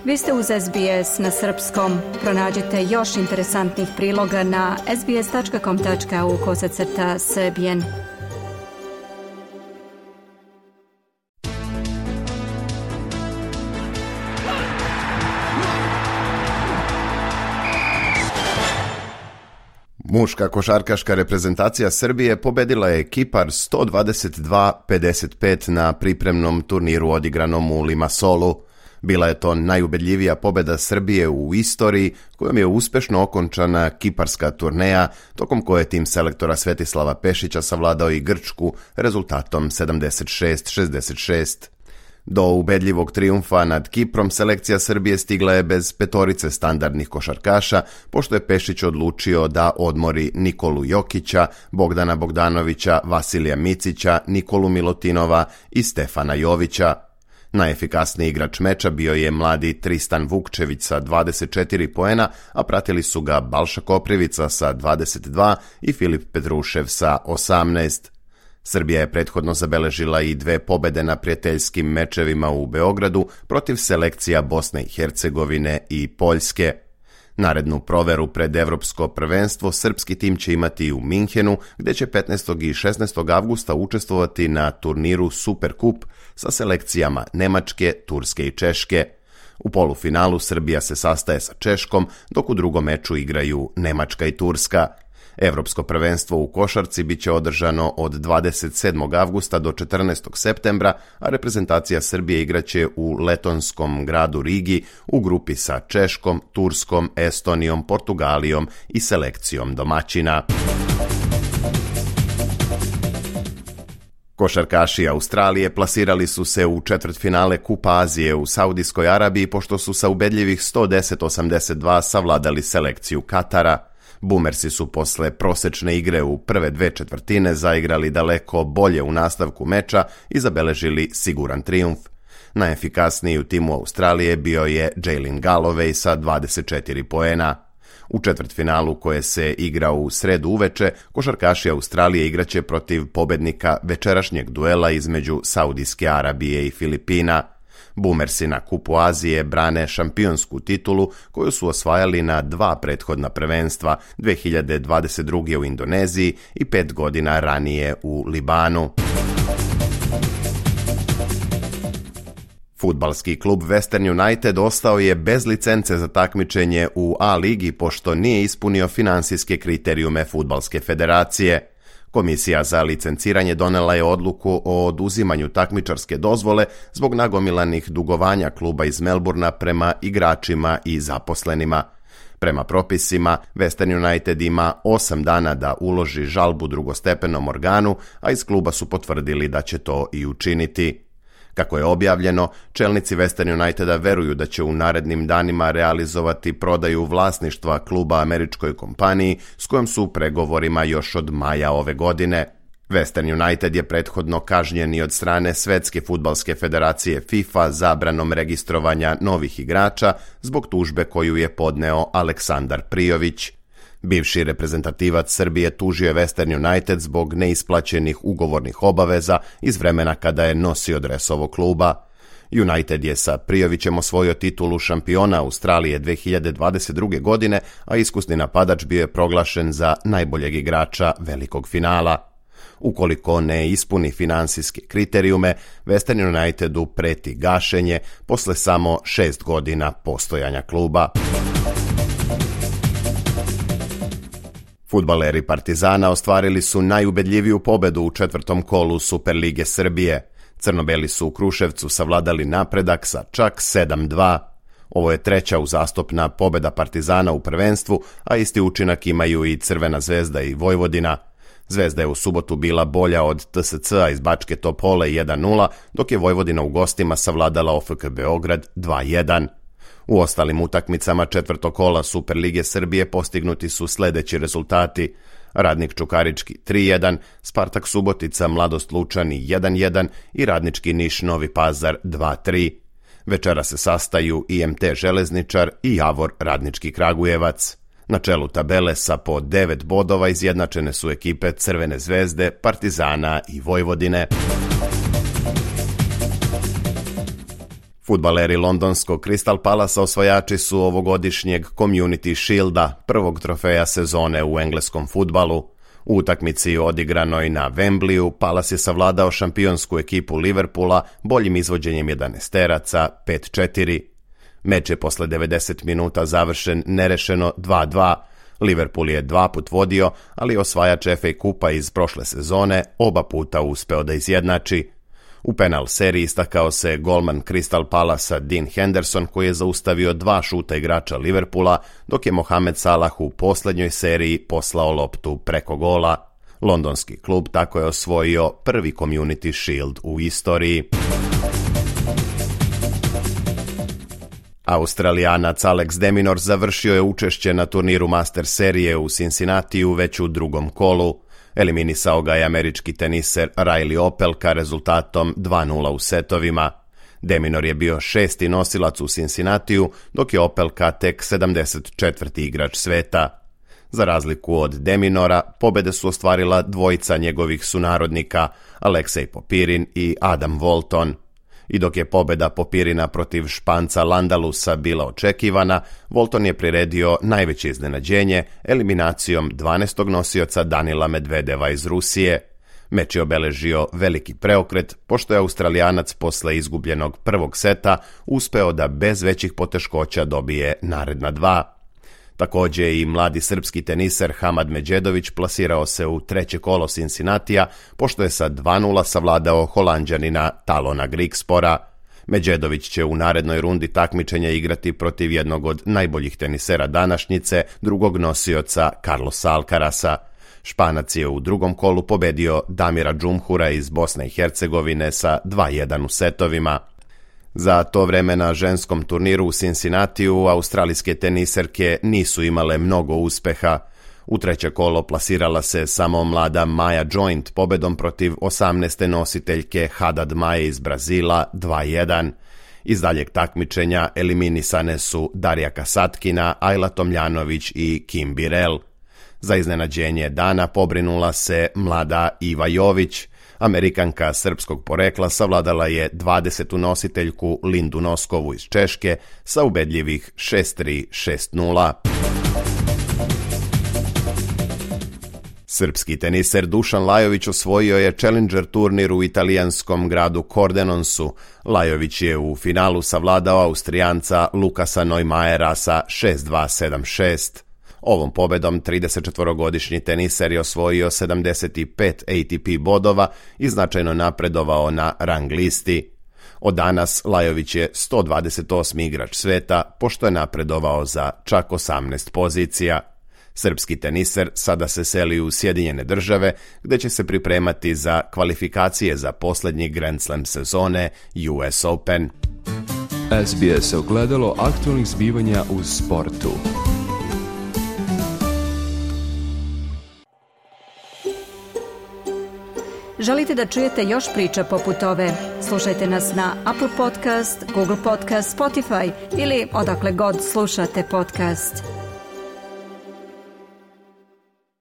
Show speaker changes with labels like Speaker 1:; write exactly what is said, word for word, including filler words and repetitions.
Speaker 1: Vi ste uz S B S na srpskom. Pronađite još interesantnih priloga na sbs.com.au kosacrta srbijen.
Speaker 2: Muška košarkaška reprezentacija Srbije pobedila je Kipar sto dvadeset dva pedeset pet na pripremnom turniru odigranom u Limassolu. Bila je to najubedljivija pobeda Srbije u istoriji, kojom je uspešno okončana kiparska turneja, tokom koje je tim selektora Svetislava Pešića savladao i Grčku rezultatom sedamdeset šest šezdeset šest. Do ubedljivog trijumfa nad Kiprom selekcija Srbije stigla je bez petorice standardnih košarkaša, pošto je Pešić odlučio da odmori Nikolu Jokića, Bogdana Bogdanovića, Vasilija Micića, Nikolu Milutinova i Stefana Jovića. Najefikasniji igrač meča bio je mladi Tristan Vukčević sa dvadeset četiri poena, a pratili su ga Balša Koprivica sa dvadeset dva i Filip Petrušev sa osamnaest. Srbija je prethodno zabeležila i dve pobede na prijateljskim mečevima u Beogradu protiv selekcija Bosne i Hercegovine i Poljske. Narednu proveru pred Evropsko prvenstvo srpski tim će imati u Minhenu, gde će petnaestog i šesnaestog avgusta učestvovati na turniru Superkup sa selekcijama Nemačke, Turske i Češke. U polufinalu Srbija se sastaje sa Češkom, dok u drugom meču igraju Nemačka i Turska. Evropsko prvenstvo u košarci biće održano od dvadeset sedmog avgusta do četrnaestog septembra, a reprezentacija Srbije igraće u letonskom gradu Rigi u grupi sa Češkom, Turskom, Estonijom, Portugalijom i selekcijom domaćina. Košarkaši Australije plasirali su se u četvrtfinale Kupa Azije u Saudijskoj Arabiji pošto su sa ubedljivih sto deset osamdeset dva savladali selekciju Katara. Bumersi su posle prosečne igre u prve dve četvrtine zaigrali daleko bolje u nastavku meča i zabeležili siguran trijumf. Najefikasniji u timu Australije bio je Jalen Galloway sa dvadeset četiri poena. U četvrtfinalu koje se igra u sredu uveče, košarkaši Australije igraće protiv pobednika večerašnjeg duela između Saudijske Arabije i Filipina. Bumersi na Kupu Azije brane šampionsku titulu koju su osvajali na dva prethodna prvenstva, dve hiljade dvadeset druge. u Indoneziji i pet godina ranije u Libanu. Fudbalski klub Western United ostao je bez licence za takmičenje u A ligi pošto nije ispunio finansijske kriterijume Fudbalske federacije. Komisija za licenciranje donela je odluku o oduzimanju takmičarske dozvole zbog nagomilanih dugovanja kluba iz Melburna prema igračima i zaposlenima. Prema propisima, Western United ima osam dana da uloži žalbu drugostepenom organu, a iz kluba su potvrdili da će to i učiniti. Kako je objavljeno, čelnici Western Uniteda veruju da će u narednim danima realizovati prodaju vlasništva kluba američkoj kompaniji s kojom su u pregovorima još od maja ove godine. Western United je prethodno kažnjen i od strane Svetske fudbalske federacije FIFA zabranom registrovanja novih igrača zbog tužbe koju je podneo Aleksandar Prijović. Bivši reprezentativac Srbije tužio je Western United zbog neisplaćenih ugovornih obaveza iz vremena kada je nosio dres ovog kluba. United je sa Prijovićem osvojio titulu šampiona Australije dve hiljade dvadeset druge. godine, a iskusni napadač bio je proglašen za najboljeg igrača velikog finala. Ukoliko ne ispuni finansijske kriterijume, Western Unitedu preti gašenje posle samo šest godina postojanja kluba. Fudbaleri Partizana ostvarili su najubedljiviju pobedu u četvrtom kolu Superlige Srbije. Crnobeli su u Kruševcu savladali Napredak sa čak sedam dva. Ovo je treća uzastopna pobeda Partizana u prvenstvu, a isti učinak imaju i Crvena zvezda i Vojvodina. Zvezda je u subotu bila bolja od T S C-a iz Bačke Topole jedan nula, dok je Vojvodina u gostima savladala O F K Beograd dva jedan. U ostalim utakmicama četvrtog kola Superlige Srbije postignuti su sledeći rezultati: Radnik Čukarički tri jedan, Spartak Subotica Mladost Lučani jedan jedan i Radnički Niš Novi Pazar dva tri. Večera se sastaju I M T Železničar i Javor Radnički Kragujevac. Na čelu tabele sa po devet bodova izjednačene su ekipe Crvene zvezde, Partizana i Vojvodine. Fudbaleri londonskog Crystal Palasa osvajači su ovogodišnjeg Community Shielda, prvog trofeja sezone u engleskom fudbalu. U utakmici odigranoj na Wembleyu, Palace je savladao šampionsku ekipu Liverpoola boljim izvođenjem jedanaesteraca pet četiri. Meč je posle devedeset minuta završen nerešeno dva dva. Liverpool je dva put vodio, ali osvajač F A kupa iz prošle sezone oba puta uspeo da izjednači. U penal seriji istakao se golman Crystal Palasa Dean Henderson, koji je zaustavio dva šuta igrača Liverpoola, dok je Mohamed Salah u poslednjoj seriji poslao loptu preko gola. Londonski klub tako je osvojio prvi Community Shield u istoriji. Australijanac Alex de Minaur završio je učešće na turniru Master serije u Cincinnatiju već u drugom kolu. Eliminisao ga je američki teniser Riley Opelka rezultatom dva nula u setovima. De Minaur je bio šesti nosilac u Cincinnatiju, dok je Opelka tek sedamdeset četvrti igrač sveta. Za razliku od De Minaura, pobede su ostvarila dvojica njegovih sunarodnika, Aleksej Popirin i Adam Walton. I dok je pobeda Popirina protiv Španca Landalusa bila očekivana, Walton je priredio najveće iznenađenje eliminacijom dvanaestog nosioca Danila Medvedeva iz Rusije. Meč je obeležio veliki preokret, pošto je Australijanac posle izgubljenog prvog seta uspeo da bez većih poteškoća dobije naredna dva. Također i mladi srpski teniser Hamad Medjedović plasirao se u treće kolo Cincinnatija, pošto je sa dva nula savladao Holanđanina Talona Grigspora. Medjedović će u narednoj rundi takmičenja igrati protiv jednog od najboljih tenisera današnjice, drugog nosioca Carlosa Alcarasa. Španac je u drugom kolu pobedio Damira Džumhura iz Bosne i Hercegovine sa dva jedan u setovima. Za to vreme na ženskom turniru u Cincinnatiju australijske teniserke nisu imale mnogo uspeha. U treće kolo plasirala se samo mlada Maja Joint pobedom protiv osamnaeste nositeljke Haddad Maje iz Brazila dva jedan. Iz daljeg takmičenja eliminisane su Darija Kasatkina, Ajla Tomljanović i Kim Birel. Za iznenađenje dana pobrinula se mlada Iva Jović. Amerikanka srpskog porekla savladala je dvadesetu nositeljku Lindu Noskovu iz Češke sa ubedljivih šest tri šest nula. Srpski teniser Dušan Lajović osvojio je Challenger turnir u italijanskom gradu Cordenonsu. Lajović je u finalu savladao Austrijanca Lukasa Neumajera sa šest dva sedam šest. Ovom pobedom tridesetčetvorogodišnji teniser je osvojio sedamdeset pet A T P bodova i značajno napredovao na rang listi. Od danas Lajović je sto dvadeset osmi igrač sveta, pošto je napredovao za čak osamnaest pozicija. Srpski teniser sada se seli u Sjedinjene države, gde će se pripremati za kvalifikacije za posljednji Grand Slam sezone U S Open.
Speaker 3: S B S ogledalo aktualnih zbivanja u sportu.
Speaker 1: Želite da čujete još priča poput ove? Slušajte nas na Apple Podcast, Google Podcast, Spotify ili odakle god slušate podcast.